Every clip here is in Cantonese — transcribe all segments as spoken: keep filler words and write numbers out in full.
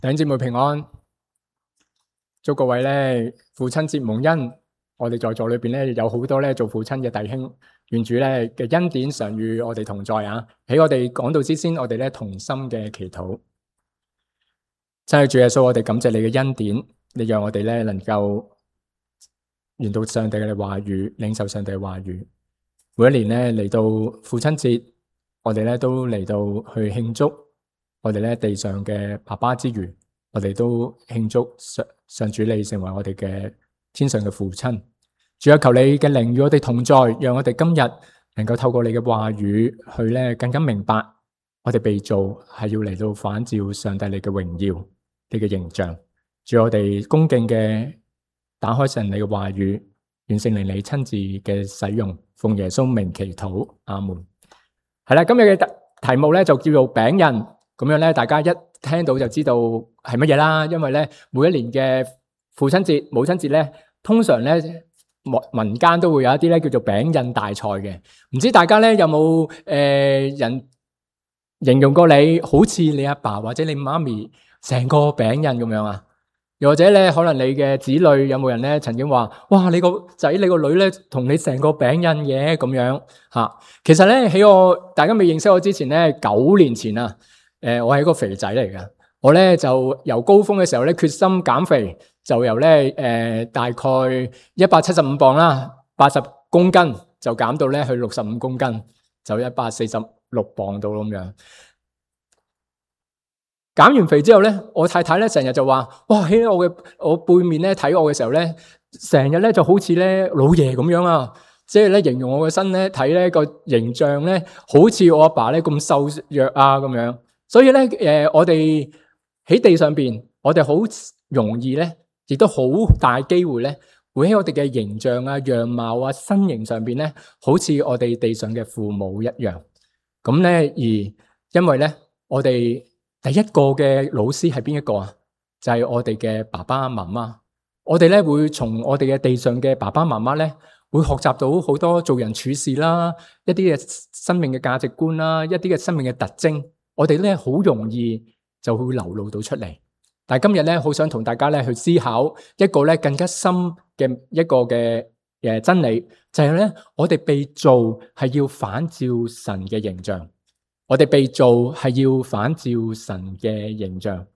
弟兄姊妹平安，祝各位咧父親節蒙恩。我哋在座裏邊咧有好多咧做父親嘅弟兄，願主咧嘅恩典常與我哋同在啊！喺我哋講道之先，我哋咧同心嘅祈禱。真係主耶穌，我哋感謝你嘅恩典，你讓我哋咧能夠研讀上帝嘅話語，領受上帝嘅話語。每一年咧嚟到父親節，我哋咧都嚟到去慶祝。我哋咧地上嘅爸爸之餘，我哋都慶祝上上主你成為我哋嘅天上嘅父親。主啊，求你嘅靈與我哋同在，讓我哋今日能夠透過你嘅話語去咧更加明白，我哋被造係要嚟到反照上帝你嘅榮耀，你嘅形象。主，我哋恭敬嘅打開神你嘅話語，願聖靈你親自嘅使用，奉耶穌名祈禱，阿門。係啦，今日嘅題目咧就叫做餅印。咁樣咧，大家一聽到就知道係乜嘢啦。因為咧，每一年嘅父親節、母親節咧，通常咧民間都會有一啲咧叫做餅印大賽嘅。唔知大家咧有冇誒、呃、人形容過你好似你阿爸或者你媽咪成個餅印咁樣啊？又或者咧，可能你嘅子女有冇人咧曾經話：哇，你個仔、你個女咧同你成個餅印嘅咁樣嚇？其實咧喺我大家未認識我之前咧，九年前啊。誒、呃，我係一個肥仔嚟嘅，我咧就由高峰嘅時候咧決心減肥，就由咧誒、呃、大概一百七十五磅啦，八十公斤就減到咧去六十五公斤，就一百四十六磅到咁樣。減完肥之後咧，我太太咧成日就話：哇，喺我嘅我背面咧睇我嘅時候咧，成日咧就好似咧老爺咁樣啊！即係咧形容我嘅身咧睇咧個形象咧，好似我阿爸咧咁瘦弱啊咁樣。所以咧，誒、呃，我哋喺地上邊，我哋好容易咧，亦都好大機會咧，會喺我哋嘅形象啊、樣貌啊、身形上邊咧，好似我哋地上嘅父母一樣。咁咧，而因為咧，我哋第一個嘅老師係邊一個啊？就係、是、我哋嘅爸爸媽媽。我哋咧會從我哋嘅地上嘅爸爸媽媽咧，會學習到好多做人處事啦，一啲嘅生命嘅價值觀啦，一啲嘅生命嘅特徵。我哋咧好容易就會流露到出嚟，但係今日咧好想同大家咧去思考一個咧更加深嘅一個嘅誒真理，就係咧我哋被造係要反照神嘅形象，我哋被造係要反照神嘅形象。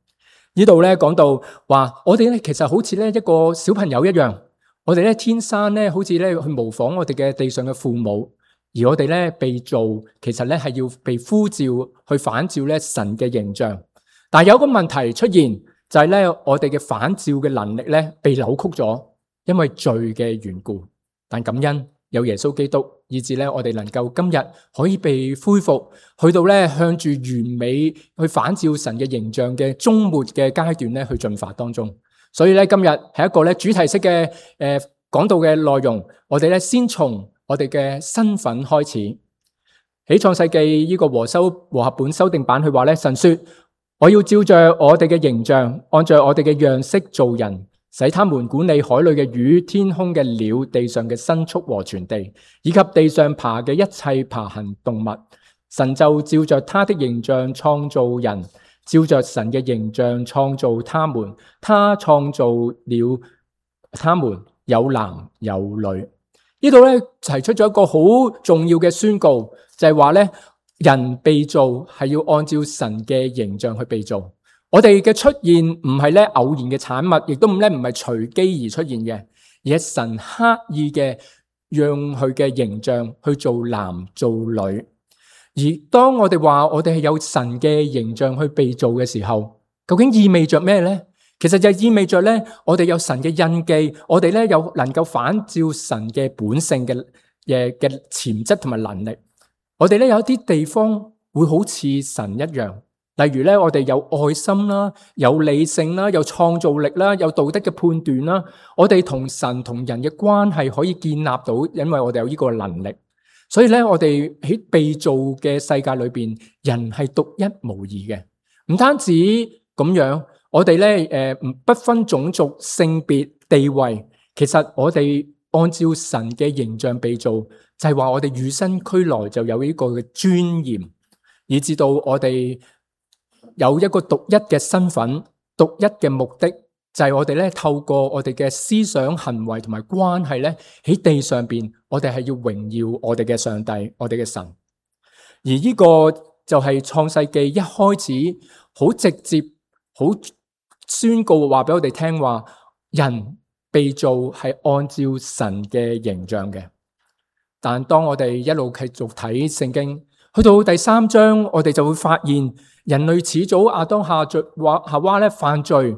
呢度咧講到話，我哋咧其實好似咧一個小朋友一樣，我哋咧天生咧好似咧去模仿我哋嘅地上嘅父母。而我哋咧被造，其實咧係要被呼召去反照咧神嘅形象。但係有個問題出現，就係咧我哋嘅反照嘅能力咧被扭曲咗，因為罪嘅緣故。但感恩有耶穌基督，以致咧我哋能夠今日可以被恢復，去到咧向住完美去反照神嘅形象嘅終末嘅階段咧去進發當中。所以咧今日係一個咧主題式嘅誒講道嘅內容，我哋咧先從我哋嘅身份開始。喺創世記呢個和修和合本修訂版佢話咧，神說：我要照着我哋嘅形象，按照我哋嘅樣式做人，使他們管理海裏嘅魚、天空嘅鳥、地上嘅牲畜和全地，以及地上爬嘅一切爬行動物。神就照着他的形象創造人，照着神嘅形象創造他們，他創造了他們，有男有女。呢度咧提出咗一個好重要嘅宣告，就係話咧人被造係要按照神嘅形象去被造。我哋嘅出現唔係咧偶然嘅產物，亦都唔咧唔係隨機而出現嘅，而係神刻意嘅讓佢嘅形象去做男做女。而當我哋話我哋係有神嘅形象去被造嘅時候，究竟意味着咩咧？其實就意味着咧，我哋有神嘅印記，我哋咧有能夠反照神嘅本性嘅嘅嘅潛質同埋能力。我哋咧有一啲地方會好似神一樣，例如咧我哋有愛心啦，有理性啦，有創造力啦，有道德嘅判斷啦。我哋同神同人嘅關係可以建立到，因為我哋有呢個能力。所以咧，我哋喺被造嘅世界裏邊，人係獨一無二嘅。唔單止咁樣。我哋咧，誒，不分種族、性別、地位，其實我哋按照神嘅形象被造，就係話我哋與生俱來就有呢個嘅尊嚴，以至到我哋有一個獨一嘅身份，獨一嘅目的就係我哋咧透過我哋嘅思想、行為同埋關係咧喺地上邊，我哋係要榮耀我哋嘅上帝，我哋嘅神。而呢個就係創世記一開始好直接、好宣告話俾我哋聽話，人被造係按照神嘅形象嘅。但當我哋一路繼續睇聖經，去到第三章，我哋就會發現人類始祖亞當夏夏娃咧犯罪，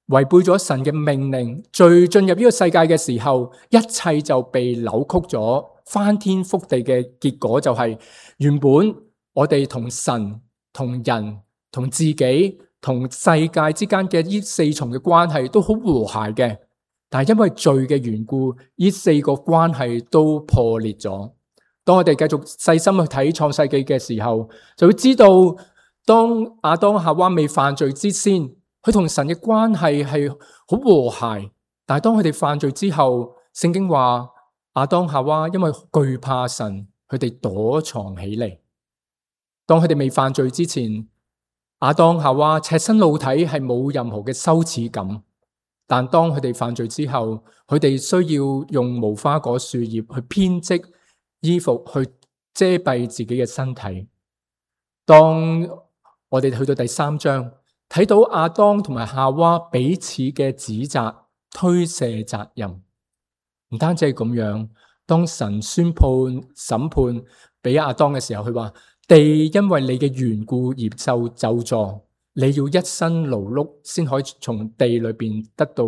違背咗神嘅命令，罪進入呢個世界嘅時候，一切就被扭曲咗，翻天覆地嘅結果就係原本我哋同神、同人、同自己、同世界之間嘅呢四重嘅關係都好和諧嘅。但係因為罪嘅緣故，呢四個關係都破裂咗。當我哋繼續細心去睇創世記嘅時候，就會知道當亞當夏娃未犯罪之先，佢同神嘅關係係好和諧。但係當佢哋犯罪之後，聖經話亞當夏娃因為懼怕神，佢哋躲藏起嚟。當佢哋未犯罪之前，亞當夏娃赤身露體係冇任何嘅羞恥感。但當佢哋犯罪之後，佢哋需要用無花果樹葉去編織衣服去遮蔽自己嘅身體。當我哋去到第三章，睇到亞當同埋夏娃彼此嘅指責、推卸責任，唔單止係咁樣。當神宣判審判俾亞當嘅時候，佢話地因為你嘅緣故而受咒詛。你要一生勞碌，先可以從地裏邊得到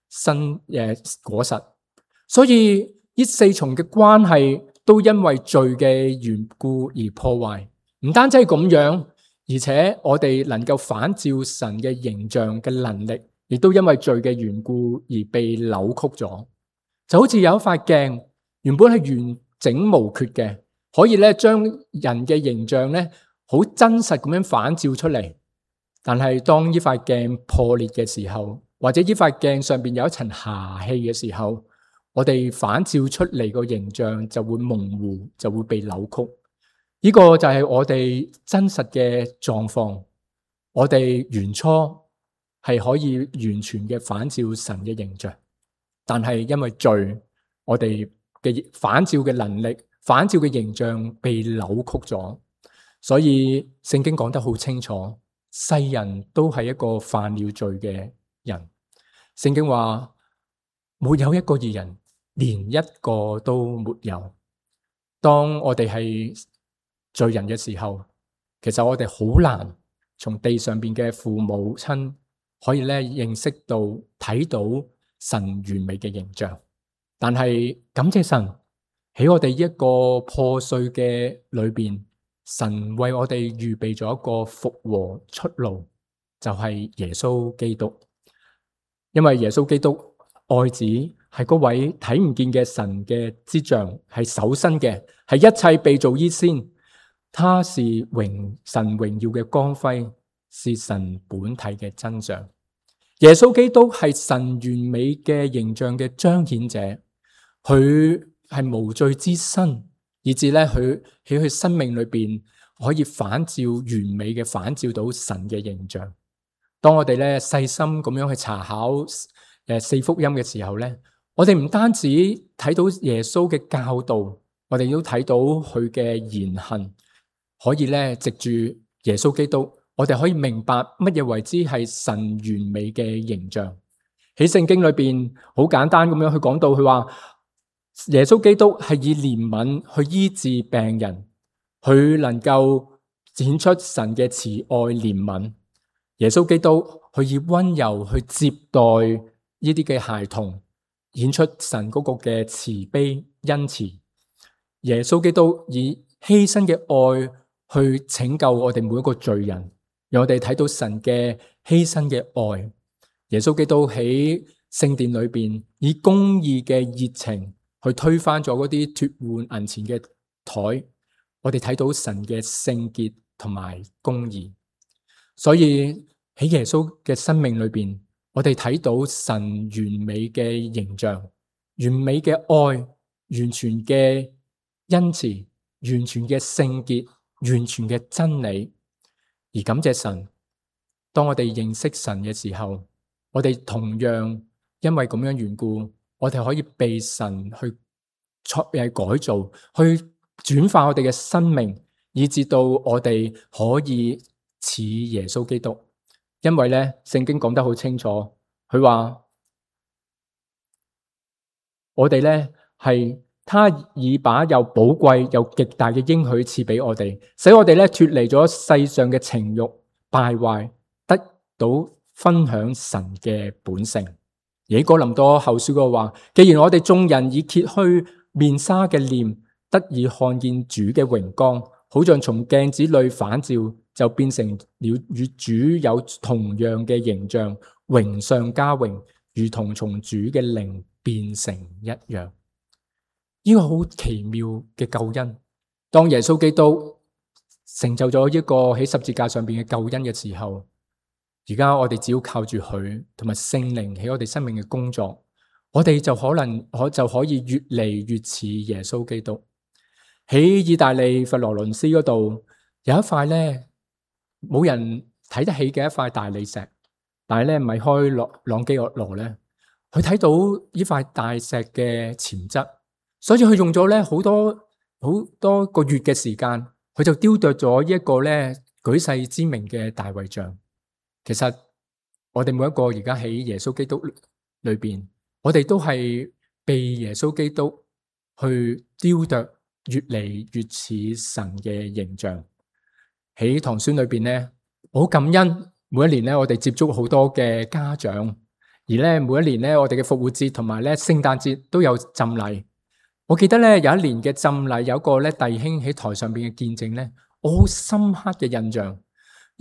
新誒果實。所以呢四重嘅關係都因為罪嘅緣故而破壞。唔單止係咁樣，而且我哋能夠反照神嘅形象嘅能力，亦都因為罪嘅緣故而被扭曲咗。就好似有一塊鏡，原本係完整無缺嘅，可以咧將人嘅形象咧好真實咁樣反照出嚟。但係當呢塊鏡破裂嘅時候，或者呢塊鏡上邊有一層瑕氣嘅時候，我哋反照出嚟個形象就會模糊，就會被扭曲。呢個就係我哋真實嘅狀況。我哋原初係可以完全嘅反照神嘅形象，但係因為罪，我哋嘅反照嘅能力、反照嘅形象被扭曲咗。所以聖經講得好清楚。世人都係一個犯了罪嘅人。聖經話沒有一個義人，連一個都沒有。當我哋係罪人嘅時候，其實我哋好難從地上邊嘅父母親可以咧認識到睇到神完美嘅形象。但係感謝神，喺我哋一個破碎嘅裏邊，神為我哋預備咗一個復和出路，就係耶穌基督。因為耶穌基督愛子係嗰位睇唔見嘅神嘅之像，係首生嘅，係一切被造以先。他是榮神榮耀嘅光輝，是神本體嘅真相。耶穌基督係神完美嘅形象嘅彰顯者，佢係無罪之身。以至咧，佢喺佢生命裏邊可以反照完美嘅反照到神嘅形象。當我哋咧細心咁樣去查考誒四福音嘅時候咧，我哋唔單止睇到耶穌嘅教導，我哋都睇到佢嘅言行，可以咧藉住耶穌基督，我哋可以明白乜嘢為之係神完美嘅形象。喺聖經裏邊好簡單咁樣去講到，佢話。耶穌基督係以憐憫去醫治病人，佢能夠展出神嘅慈愛憐憫。耶穌基督佢以溫柔去接待呢啲嘅孩童，演出神嗰個嘅慈悲恩慈。耶穌基督以犧牲嘅愛去拯救我哋每一個罪人，讓我哋睇到神嘅犧牲嘅愛。耶穌基督喺聖殿裏邊以公義嘅熱情。去推翻咗嗰啲脫換銀錢嘅台，我哋睇到神嘅聖潔同埋公義。所以喺耶穌嘅生命裏邊，我哋睇到神完美嘅形象、完美嘅愛、完全嘅恩慈、完全嘅聖潔、完全嘅真理。而感謝神，當我哋認識神嘅時候，我哋同樣因為咁樣緣故，我哋可以被神去錯誒改造，去轉化我哋嘅生命，以至到我哋可以似耶穌基督。因為咧，聖經講得好清楚，佢話我哋咧係他已把又寶貴又極大嘅應許賜俾我哋，使我哋咧脫離咗世上嘅情慾敗壞，得到分享神嘅本性。而喺哥林多後書嗰話，既然我哋眾人已揭去面紗嘅臉，得以看見主嘅榮光，好像從鏡子裏反照，就變成了與主有同樣嘅形象，榮上加榮，如同從主嘅靈變成一樣。呢個好奇妙嘅救恩，當耶穌基督成就咗一個喺十字架上邊嘅救恩嘅時候，而家我哋只要靠住佢同埋聖靈喺我哋生命嘅工作，我哋就可能可就可以越嚟越似耶穌基督。喺意大利佛羅倫斯嗰度有一塊咧冇人睇得起嘅一塊大理石，但係咧米開朗朗基羅咧，佢睇到呢塊大石嘅潛質，所以佢用咗咧好多好多個月嘅時間，佢就雕琢咗一個咧舉世知名嘅大衛像。其實我哋每一個而家喺耶穌基督裏邊，我哋都係被耶穌基督去雕琢，越嚟越似神嘅形象。喺堂宣裏邊咧，我好感恩每一年咧，我哋接觸好多嘅家長，而咧每一年咧，我哋嘅復活節同埋咧聖誕節都有浸禮。我記得咧有一年嘅浸禮，有一個咧弟兄喺台上邊嘅見證咧，我好深刻嘅印象。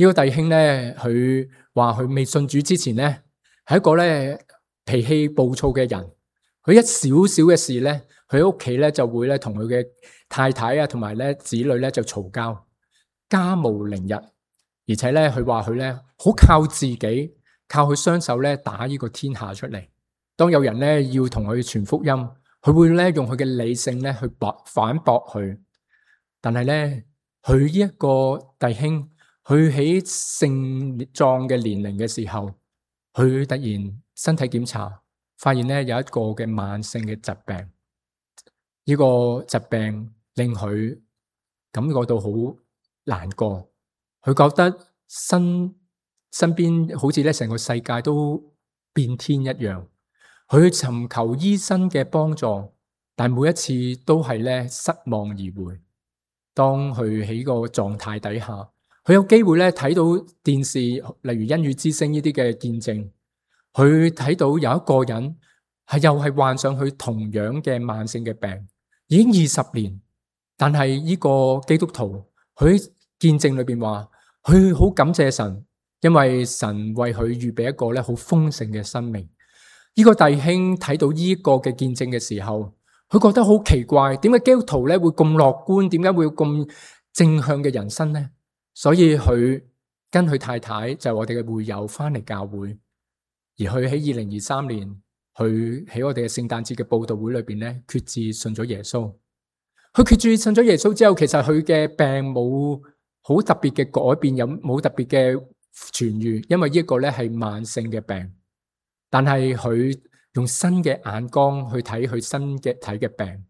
呢個弟兄咧，佢話佢未信主之前咧，係一個咧脾氣暴躁嘅人。佢一少少嘅事咧，佢喺屋企咧就會咧同佢嘅太太啊，同埋咧子女咧就嘈交，家無寧日。而且咧，佢話佢咧好靠自己，靠佢雙手咧打呢個天下出嚟。當有人咧要同佢傳福音，佢會咧用佢嘅理性咧去駁反駁佢。但係咧，佢呢一個弟兄，佢喺盛壯嘅年齡嘅時候，佢突然身體檢查，發現咧有一個嘅慢性嘅疾病。呢個疾病令佢感覺到好難過，佢覺得身身邊好似咧成個世界都變天一樣。佢尋求醫生嘅幫助，但每一次都係咧失望而回。當佢喺個狀態底下，佢有機會咧睇到電視，例如恩語之聲呢啲嘅見證，佢睇到有一個人係又係患上佢同樣嘅慢性嘅病，已經二十年，但係呢個基督徒佢見證裏邊話，佢好感謝神，因為神為佢預備一個咧好豐盛嘅生命。呢個弟兄睇到呢個嘅見證嘅時候，佢覺得好奇怪，點解基督徒咧會咁樂觀？點解會咁正向嘅人生呢？所以佢跟佢太太就係我哋嘅會友翻嚟教會，而佢喺二零二三年，佢喺我哋嘅聖誕節嘅佈道會裏邊咧，決志信咗耶穌。佢決志信咗耶穌之後，其實佢嘅病冇好特別嘅改變，有冇特別嘅痊癒，因為呢一個咧係慢性嘅病。但係佢用新嘅眼光去睇佢身嘅體嘅病，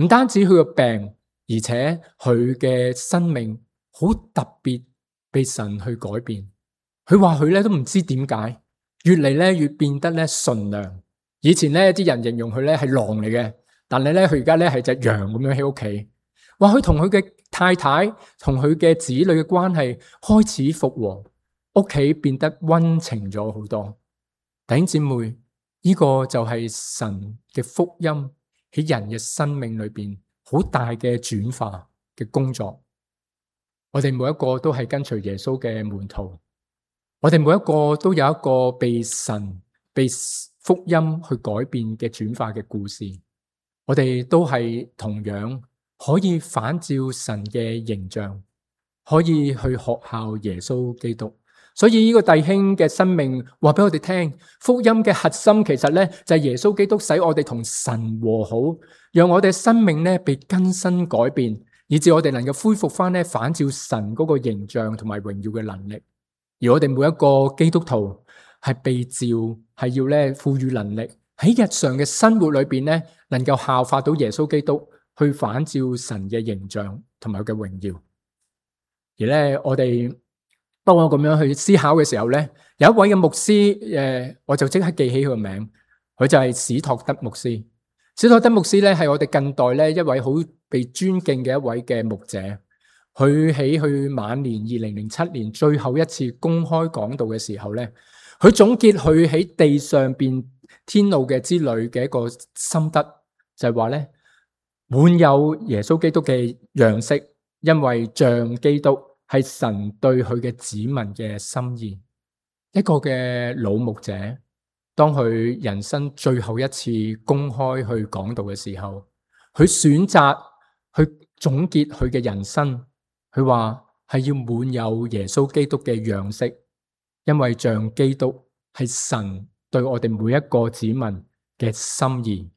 唔單止佢個病，而且佢嘅生命好特別被神去改變。佢話佢咧都唔知點解，越嚟咧越變得咧純良。以前咧啲人形容佢咧係狼嚟嘅，但係咧佢而家咧係隻羊咁樣喺屋企。話佢同佢嘅太太同佢嘅子女嘅關係開始復和，屋企變得溫情咗好多。弟兄姊妹，呢個就係神嘅福音喺人嘅生命裏邊好大嘅轉化嘅工作。我哋每一個都係跟隨耶穌嘅門徒，我哋每一個都有一個被神被福音去改變嘅轉化嘅故事。我哋都係同樣可以反照神嘅形象，可以去學效耶穌基督。所以呢個弟兄嘅生命話俾我哋聽，福音嘅核心其實咧就係耶穌基督使我哋同神和好，讓我哋生命咧被更新改變，以致我哋能夠恢復翻咧反照神嗰個形象同埋榮耀嘅能力。而我哋每一個基督徒係被召，係要咧賦予能力喺日常嘅生活裏邊咧，能夠效法到耶穌基督，去反照神嘅形象同埋佢嘅榮耀。而咧，我哋當我咁樣去思考嘅時候咧，有一位嘅牧師，誒，我就即刻記起佢個名，佢就係史托德牧師。史托德牧師咧係我哋近代咧一位好被尊敬嘅一位嘅牧者。佢喺佢晚年二零零七年最後一次公開講道嘅時候咧，佢總結佢喺地上邊天路嘅之旅嘅一個心得，就係話咧，滿有耶穌基督嘅樣式，因為像基督係神對佢嘅子民嘅心意。一個嘅老牧者，當佢人生最後一次公開去講道嘅時候，佢選擇去總結佢嘅人生。佢話係要滿有耶穌基督嘅樣式，因為像基督係神對我哋每一個子民嘅心意。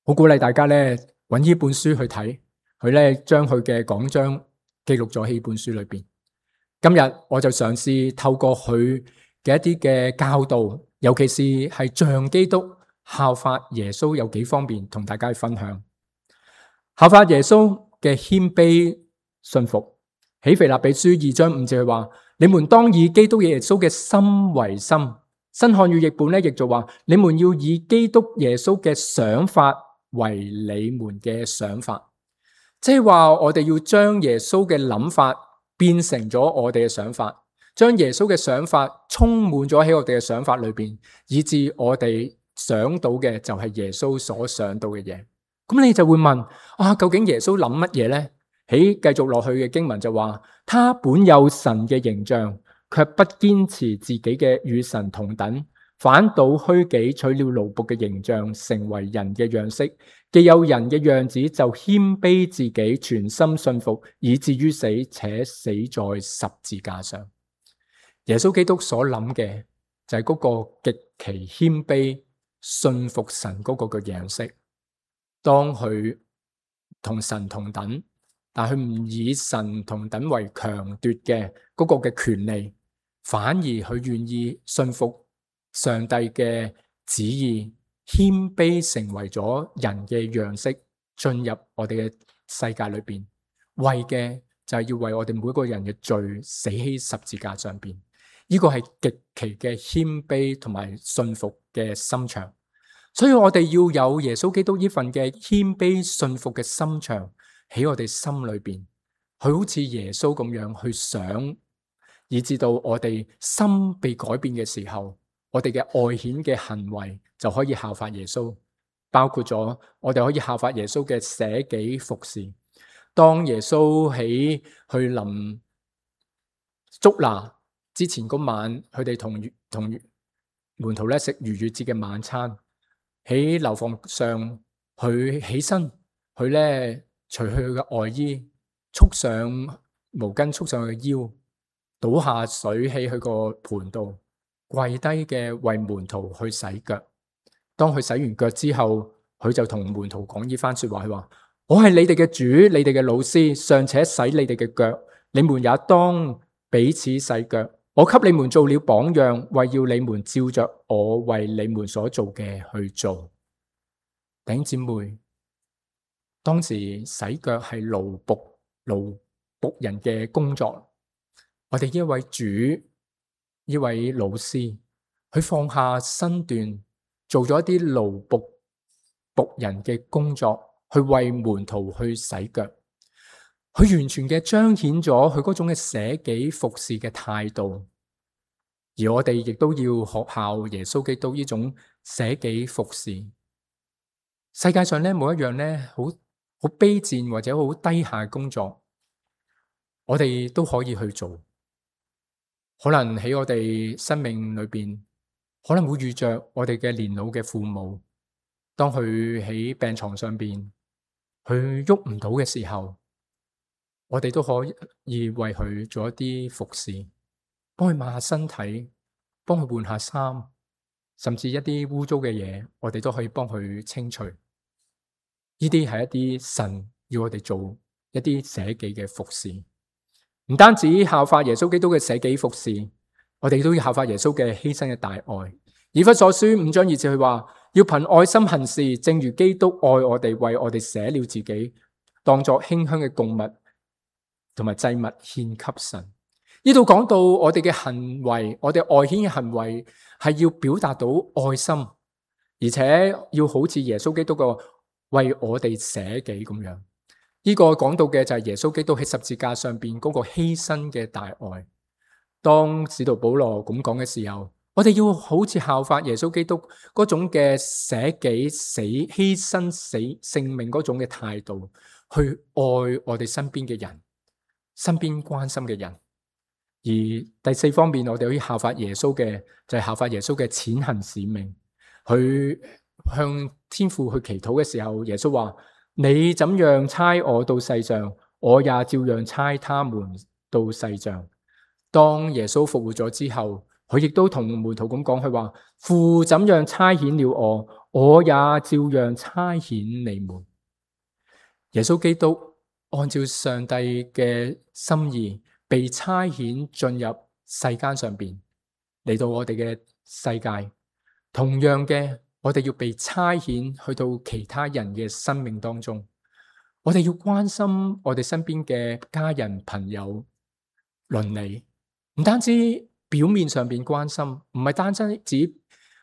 好鼓勵大家咧揾呢本書去睇，佢咧將佢嘅講章記錄咗喺呢本書裏邊。今日我就嘗試透過佢嘅一啲嘅教導，尤其是係像基督效法耶穌有幾方面同大家去分享。效法耶穌嘅謙卑信服，喺腓立比書二章五節佢話：你們當以基督耶穌嘅心為心。新漢語譯本咧，亦就話：你們要以基督耶穌嘅想法為你們嘅想法。即係話我哋要將耶穌嘅諗法變成咗我哋嘅想法，將耶穌嘅想法充滿咗喺我哋嘅想法裏邊，以致我哋想到嘅就係耶穌所想到嘅嘢。咁你就會問：啊，究竟耶穌諗乜嘢呢？喺繼續落去嘅經文就話，他本有神嘅形象，卻不堅持自己嘅與神同等，反倒虛己，取了奴僕嘅形象，成為人嘅樣式。既有人嘅樣子，就謙卑自己，全心信服，以至於死，且死在十字架上。耶穌基督所諗嘅就係嗰個極其謙卑、信服神嗰個嘅樣式。當佢同神同等，但佢唔以神同等為強奪嘅嗰個嘅權利，反而佢願意信服上帝嘅旨意，謙卑成為咗人嘅樣式，進入我哋嘅世界裏邊，為嘅就係要為我哋每個人嘅罪死喺十字架上邊。呢個係極其嘅謙卑同埋信服嘅心腸。所以我哋要有耶穌基督呢份嘅謙卑信服嘅心腸喺我哋心裏邊，佢好似耶穌咁樣去想，以至到我哋心被改變嘅時候，我哋嘅外顯嘅行為就可以效法耶穌，包括咗我哋可以效法耶穌嘅捨己服侍。當耶穌喺去臨捉拿之前嗰晚，佢哋同同門徒咧食逾越節嘅晚餐。喺樓房上，佢起身，佢咧除去佢嘅外衣，束上毛巾，束上佢嘅腰，倒下水喺佢個盆度，跪低嘅為門徒去洗腳。當佢洗完腳之後，佢就同門徒講呢番說話，佢話：我係你哋嘅主，你哋嘅老師，尚且洗你哋嘅腳，你們也當彼此洗腳。我給你們做了榜樣，為要你們照着我為你們所做嘅去做。弟兄姊妹，當時洗腳係奴僕奴僕人嘅工作，我哋呢位主，呢位老師，佢放下身段，做咗一啲奴僕僕人嘅工作，去為門徒去洗腳。佢完全嘅彰顯咗佢嗰種嘅捨己服侍嘅態度，而我哋亦都要學效耶穌基督呢種捨己服侍。世界上咧冇一樣咧好好卑賤或者好低下嘅工作，我哋都可以去做。可能喺我哋生命裏邊，可能會遇着我哋嘅年老嘅父母，當佢喺病床上邊，佢喐唔到嘅時候，我哋都可以為佢做一啲服侍，幫佢抹下身體，幫佢換下衫，甚至一啲污糟嘅嘢，我哋都可以幫佢清除。呢啲係一啲神要我哋做一啲捨己嘅服侍。唔單止效法耶穌基督嘅捨己服侍，我哋都要效法耶穌嘅犧牲嘅大愛。以弗所書五章二節佢話，要憑愛心行事，正如基督愛我哋，為我哋捨了自己，當作馨香嘅供物同埋祭物獻給神。呢度講到我哋嘅行為，我哋外顯嘅行為係要表達到愛心，而且要好似耶穌基督個為我哋捨己咁樣。呢個講到嘅就係耶穌基督喺十字架上邊嗰個犧牲嘅大愛。當使徒保羅咁講嘅時候，我哋要好似效法耶穌基督嗰種嘅捨己死犧牲死性命嗰種嘅態度，去愛我哋身邊嘅人，身邊關心嘅人。而第四方面，我哋可以效法耶穌嘅就係效法耶穌嘅踐行使命。佢向天父去祈禱嘅時候，耶穌話：你怎樣差我到世上，我也照樣差他們到世上。當耶穌復活咗之後，佢亦都同門徒咁講，佢話：父怎樣差遣了我，我也照樣差遣你們。耶穌基督按照上帝嘅心意，被差遣進入世間上邊，嚟到我哋嘅世界。同樣嘅，我哋要被差遣去到其他人嘅生命當中。我哋要關心我哋身邊嘅家人、朋友、鄰里，唔單止表面上邊關心，唔係單止只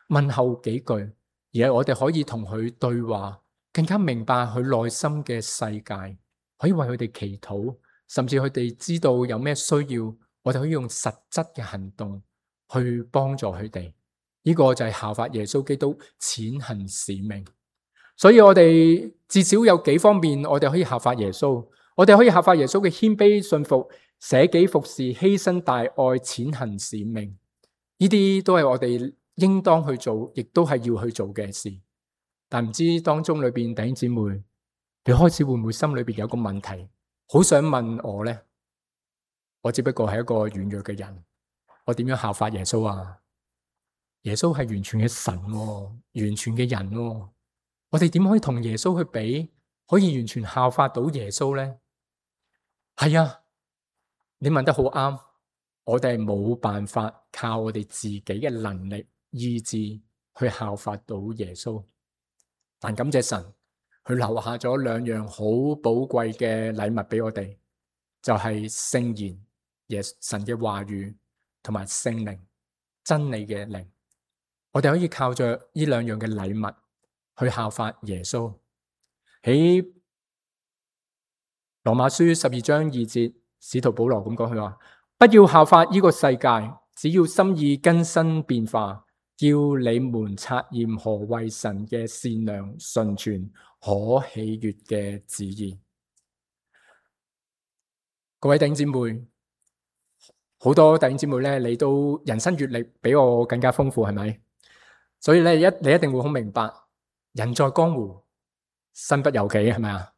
問候幾句，而係我哋可以同佢對話，更加明白佢內心嘅世界，可以為佢哋祈禱，甚至佢哋知道有咩需要，我哋可以用實質嘅行動去幫助佢哋。呢個就係效法耶穌基督踐行使命。所以我哋至少有幾方面，我哋可以效法耶穌。我哋可以效法耶穌嘅謙卑信服、捨己服侍、犧牲大愛、踐行使命。呢啲都係我哋應當去做，亦都係要去做嘅事。但唔知當中裏邊弟兄姊妹，你開始會唔會心裏邊有個問題，好想問我呢？我只不過係一個軟弱嘅人，我點樣效法耶穌啊？耶穌係完全嘅神喎，完全嘅人喎，我哋點可以同耶穌去比，可以完全效法到耶穌呢？係啊，你問得好啱，我哋係冇辦法靠我哋自己嘅能力、意志去效法到耶穌。但感謝神，佢留下咗兩樣好寶貴嘅禮物俾我哋，就係聖言、耶神嘅話語同埋聖靈、真理嘅靈。我哋可以靠着呢兩樣嘅禮物去效法耶穌。喺羅馬書十二章二節，使徒保羅咁講，佢話：不要效法呢個世界，只要心意更新變化，叫你們察驗何為神嘅善良、純全、可喜悅嘅旨意。各位弟兄姊妹，好多弟兄姊妹咧，你都人生閱歷比我更加豐富，係咪？所以咧，一你一定會好明白，人在江湖，身不由己，係咪啊？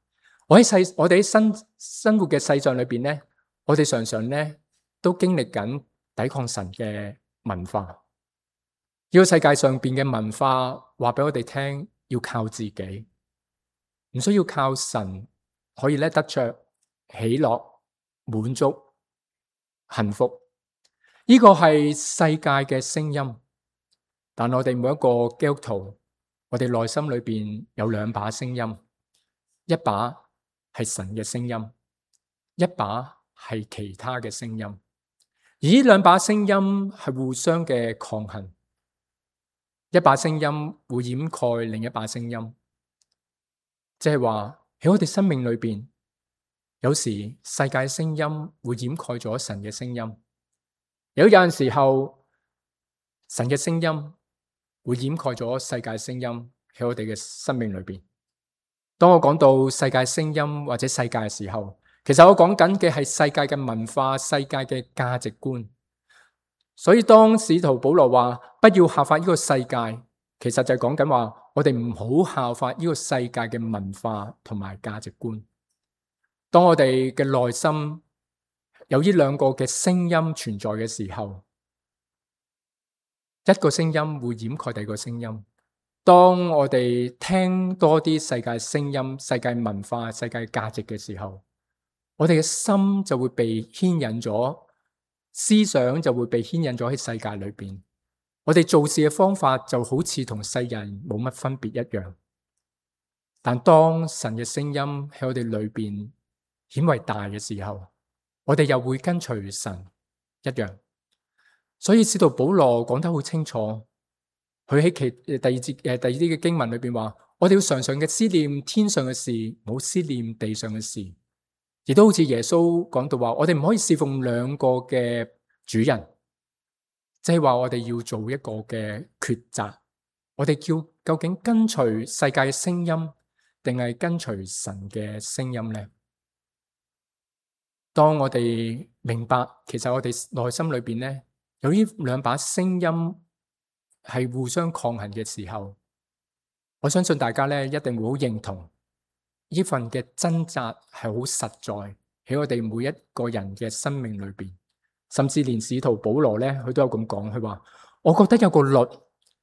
我喺世，我哋喺生生活嘅世上裏邊咧，我哋常常咧都經歷緊抵抗神嘅文化。呢個世界上邊嘅文化話俾我哋聽，要靠自己，唔需要靠神，可以咧得着喜樂、滿足、幸福。呢個係世界嘅聲音。但我哋每一個基督徒，我哋內心裏邊有兩把聲音，一把係神嘅聲音，一把係其他嘅聲音。而呢兩把聲音係互相嘅抗衡，一把聲音會掩蓋另一把聲音，即係話喺我哋生命裏邊，有時世界聲音會掩蓋咗神嘅聲音，有有陣時候神嘅聲音會掩蓋咗世界聲音喺我哋嘅生命裏邊。當我講到世界聲音或者世界嘅時候，其實我講緊嘅係世界嘅文化、世界嘅價值觀。所以當使徒保羅話不要效法呢個世界，其實就係講緊話我哋唔好效法呢個世界嘅文化同埋價值觀。當我哋嘅內心有呢兩個嘅聲音存在嘅時候，一個聲音會掩蓋第二個聲音。當我哋聽多啲世界聲音、世界文化、世界價值嘅時候，我哋嘅心就會被牽引咗，思想就會被牽引咗喺世界裏邊。我哋做事嘅方法就好似同世人冇乜分別一樣。但當神嘅聲音喺我哋裏邊顯為大嘅時候，我哋又會跟隨神一樣。所以使徒保羅講得好清楚，佢喺其第二節誒第二啲嘅經文裏邊話，我哋要常常嘅思念天上嘅事，冇思念地上嘅事。亦都好似耶穌講到話，我哋唔可以侍奉兩個嘅主人，即係話我哋要做一個嘅抉擇，我哋叫究竟跟隨世界嘅聲音，定係跟隨神嘅聲音呢？當我哋明白，其實我哋內心裏邊咧有呢兩把聲音係互相抗衡嘅時候，我相信大家咧一定會好認同。呢份嘅掙扎係好實在喺我哋每一個人嘅生命裏邊，甚至連使徒保羅咧，佢都有咁講，佢話：我覺得有個律，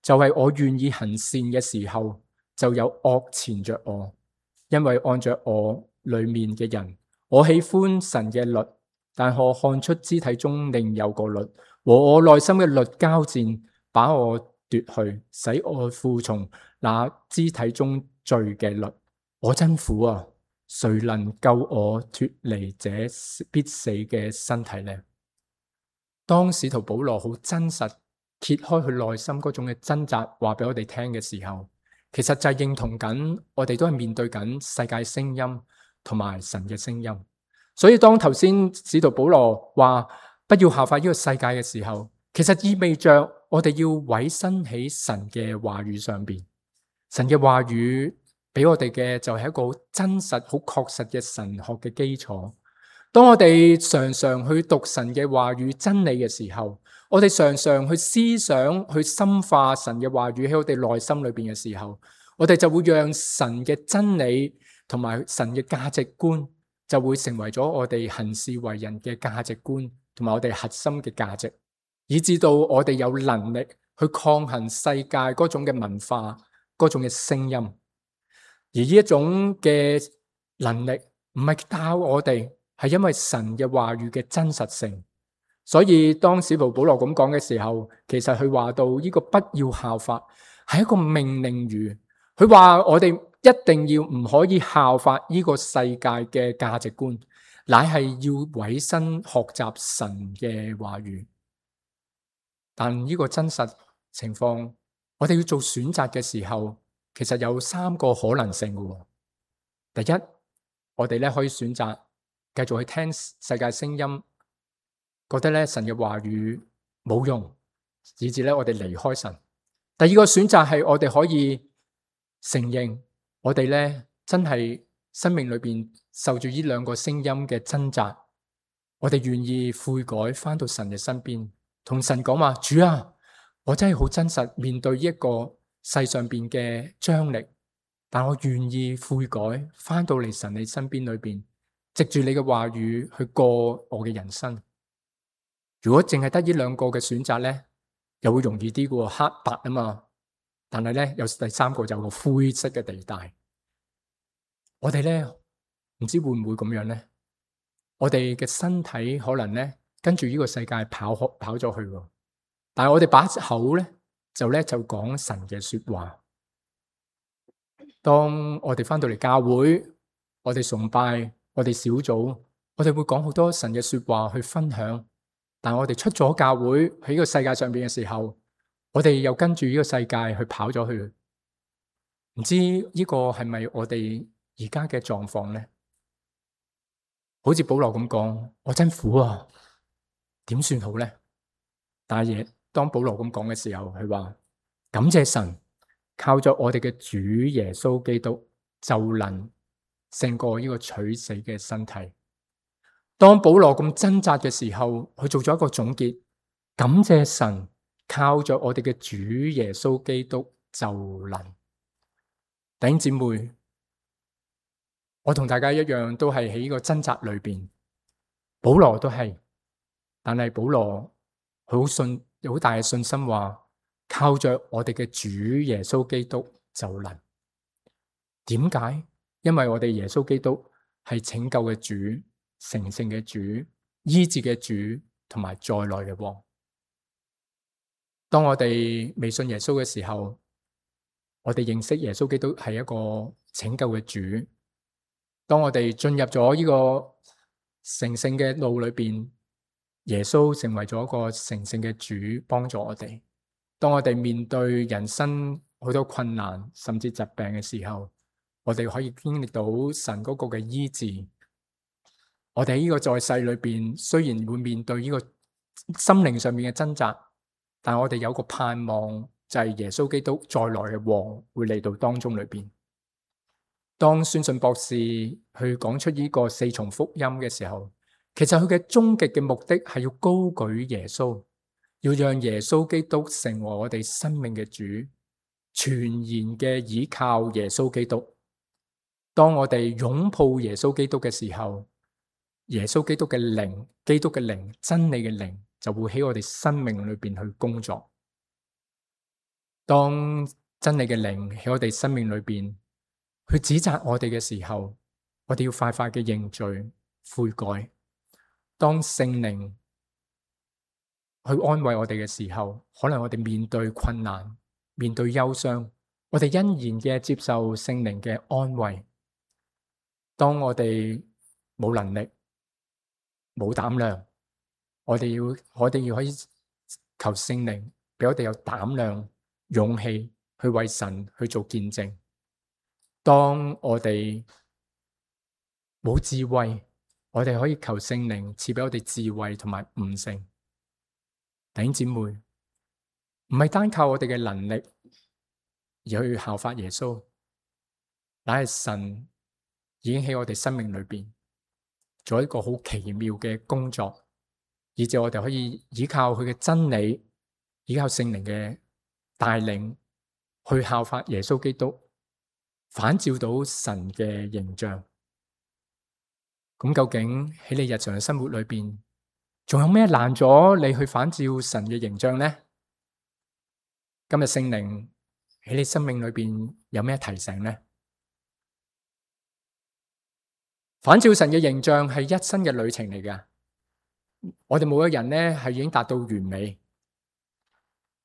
就係我願意行善嘅時候，就有惡纏着我，因為按着我裏面嘅人，我喜歡神嘅律，但我看出肢體中另有個律，和我內心嘅律交戰，把我奪去，使我服從那肢體中罪嘅律。我真苦啊！誰能救我脫離這必死嘅身體呢？當使徒保羅好真實揭開佢內心嗰種嘅掙扎，話俾我哋聽嘅時候，其實就係認同緊我哋都係面對緊世界聲音同埋神嘅聲音。所以當頭先使徒保羅話不要效法呢個世界嘅時候，其實意味着我哋要委身喺神嘅話語上邊。神嘅話語俾我哋嘅就係一個好真實、好確實嘅神學嘅基礎。當我哋常常去讀神嘅話語真理嘅時候，我哋常常去思想、去深化神嘅話語喺我哋內心裏邊嘅時候，我哋就會讓神嘅真理同埋神嘅價值觀就會成為咗我哋行事為人嘅價值觀同埋我哋核心嘅價值，以至到我哋有能力去抗衡世界嗰種嘅文化、嗰種嘅聲音。而呢一種嘅能力唔係靠我哋，係因為神嘅話語嘅真實性。所以當使徒保羅咁講嘅時候，其實佢話到呢個不要效法係一個命令語。佢話我哋一定要唔可以效法呢個世界嘅價值觀，乃係要委身學習神嘅話語。但呢個真實情況，我哋要做選擇嘅時候，其實有三個可能性嘅。第一，我哋咧可以選擇繼續去聽世界聲音，覺得咧神嘅話語冇用，以致咧我哋離開神。第二個選擇係我哋可以承認，我哋咧真係生命裏邊受住呢兩個聲音嘅掙扎，我哋願意悔改，翻到神嘅身邊，同神講話：主啊，我真係好真實面對呢一個世上邊嘅張力，但我願意悔改，翻到嚟神你身邊裏邊，藉住你嘅話語去過我嘅人生。如果淨係得呢兩個嘅選擇咧，又會容易啲嘅，黑白啊嘛。但係咧有第三個就有個灰色嘅地帶。我哋咧唔知會唔會咁樣咧？我哋嘅身體可能咧跟住呢個世界跑跑咗去，但係我哋把口咧。就咧就講神嘅說話。當我哋翻到嚟教會，我哋崇拜，我哋小組，我哋會講好多神嘅說話去分享。但係我哋出咗教會喺呢個世界上邊嘅時候，我哋又跟住呢個世界去跑咗去。唔知呢個係咪我哋而家嘅狀況咧？好似保羅咁講，我真苦啊，點算好咧？但係當保羅咁講嘅時候，佢話感謝神，靠着我哋嘅主耶穌基督就能勝過呢個取死嘅身體。當保羅咁掙扎嘅時候，佢做咗一個總結：感謝神，靠着我哋嘅主耶穌基督就能。弟兄姊妹，我同大家一樣，都係喺呢個掙扎裏邊。保羅都係，但係保羅佢好信。有好大嘅信心話，靠着我哋嘅主耶穌基督就能。點解？因為我哋耶穌基督係拯救嘅主，成聖嘅主、醫治嘅主同埋再來嘅王。當我哋未信耶穌嘅時候，我哋認識耶穌基督係一個拯救嘅主。當我哋進入咗呢個成聖嘅路裏邊，耶穌成為咗一個成聖嘅主，幫助我哋。當我哋面對人生好多困難甚至疾病嘅時候，我哋可以經歷到神嗰個嘅醫治。我哋喺呢個在世裏邊，雖然會面對呢個心靈上面嘅掙扎，但我哋有個盼望，就係耶穌基督再來嘅王會嚟到當中裏邊。當宣信博士去講出呢個四重福音嘅時候，其實佢嘅終極嘅目的係要高舉耶穌，要讓耶穌基督成為我哋生命嘅主，全然嘅倚靠耶穌基督。當我哋擁抱耶穌基督嘅時候，耶穌基督嘅靈、基督嘅靈、真理嘅靈就會喺我哋生命裏邊去工作。當真理嘅靈喺我哋生命裏邊去指責我哋嘅時候，我哋要快快嘅認罪悔改。當聖靈去安慰我哋嘅時候，可能我哋面對困難、面對憂傷，我哋欣然嘅接受聖靈嘅安慰。當我哋冇能力、冇膽量，我哋要我哋要可以求聖靈俾我哋有膽量、勇氣去為神去做見證。當我哋冇智慧，我哋可以求聖靈賜俾我哋智慧同埋悟性。弟兄姊妹，唔係單靠我哋嘅能力而去效法耶穌，乃係神已經喺我哋生命裏邊做一個好奇妙嘅工作，以致我哋可以依靠佢嘅真理，依靠聖靈嘅帶領，去效法耶穌基督，反照到神嘅形象。咁究竟喺你日常嘅生活裏邊，仲有咩難咗你去反照神嘅形象呢？今日聖靈喺你生命裏邊有咩提醒呢？反照神嘅形象係一生嘅旅程嚟㗎。我哋每個人咧係已經達到完美，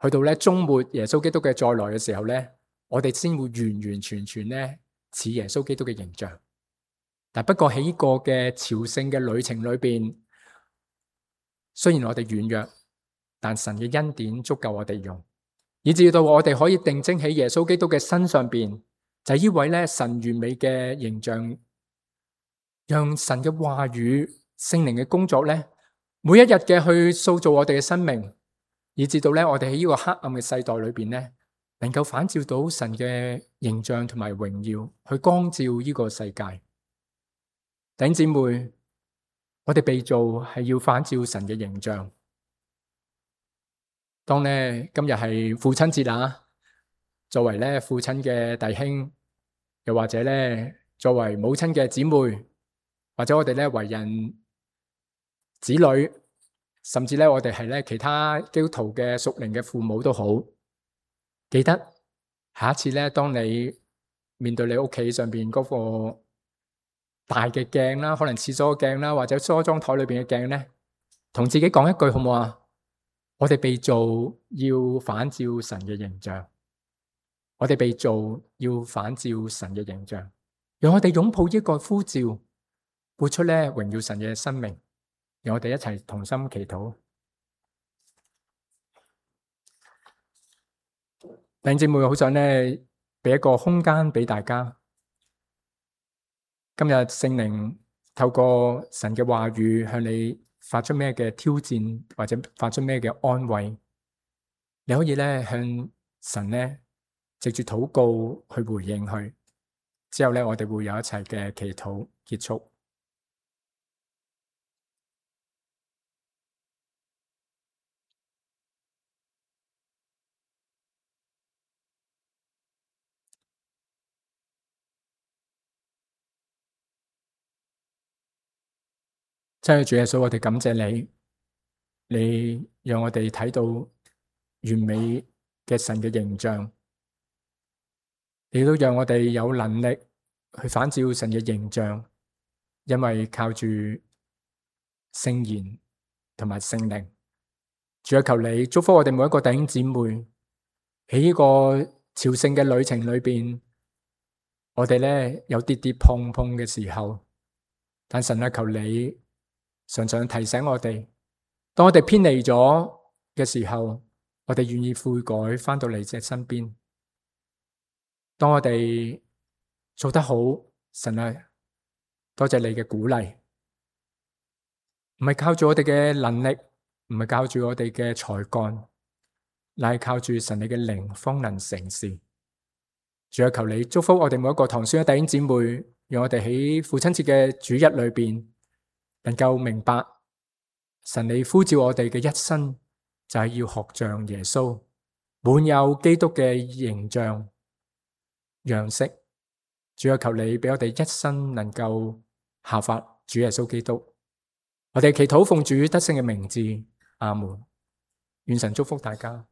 去到咧終末耶穌基督嘅再來嘅時候咧，我哋先會完完全全咧似耶穌基督嘅形象。但不過喺呢個嘅朝聖嘅旅程裏邊，雖然我哋軟弱，但神嘅恩典足夠我哋用，以至到我哋可以定睛喺耶穌基督嘅身上邊，就係呢位咧神完美嘅形象，讓神嘅話語、聖靈嘅工作咧，每一日嘅去塑造我哋嘅生命，以至到咧我哋喺呢個黑暗嘅世代裏邊咧，能夠反照到神嘅形象同埋榮耀，去光照呢個世界。弟兄姊妹，我哋被造係要反照神嘅形象。當咧今日係父親節啊，作為咧父親嘅弟兄，又或者咧作為母親嘅姊妹，或者我哋咧為人子女，甚至咧我哋係咧其他基督徒嘅屬靈嘅父母都好，記得下一次咧，當你面對你屋企上邊嗰個大嘅鏡啦，可能廁所鏡啦，或者梳妝台裏邊嘅鏡咧，同自己講一句好唔好啊？我哋被造要反照神嘅形象，我哋被造要反照神嘅形象，讓我哋擁抱呢個呼召，活出咧榮耀神嘅生命。讓我哋一齊同心祈禱。弟兄姊妹，好想咧俾一個空間俾大家。今日聖靈透過神嘅話語向你發出咩嘅挑戰，或者發出咩嘅安慰，你可以咧向神咧藉住禱告去回應佢。之後咧，我哋會有一齊嘅祈禱結束。親愛的主耶穌，我哋感謝你，你讓我哋睇到完美嘅神嘅形象，你都讓我哋有能力去反照神嘅形象，因為靠住聖言同埋聖靈。主啊，求你祝福我哋每一個弟兄姊妹喺呢個朝聖嘅旅程裏邊，我哋咧有跌跌碰碰嘅時候，但神啊，求你常常提醒我哋，當我哋偏離咗嘅時候，我哋願意悔改，翻到你隻身邊。當我哋做得好，神啊，多謝你嘅鼓勵，唔係靠住我哋嘅能力，唔係靠住我哋嘅才幹，乃係靠住神你嘅靈方能成事。主啊，求你祝福我哋每一個堂書嘅弟兄姊妹，讓我哋喺父親節嘅主日裏邊，能夠明白神你呼召我哋嘅一生就係要學像耶穌，滿有基督嘅形象樣式。主啊，求你俾我哋一生能夠效法主耶穌基督。我哋祈禱奉主得勝嘅名字，阿門。願神祝福大家。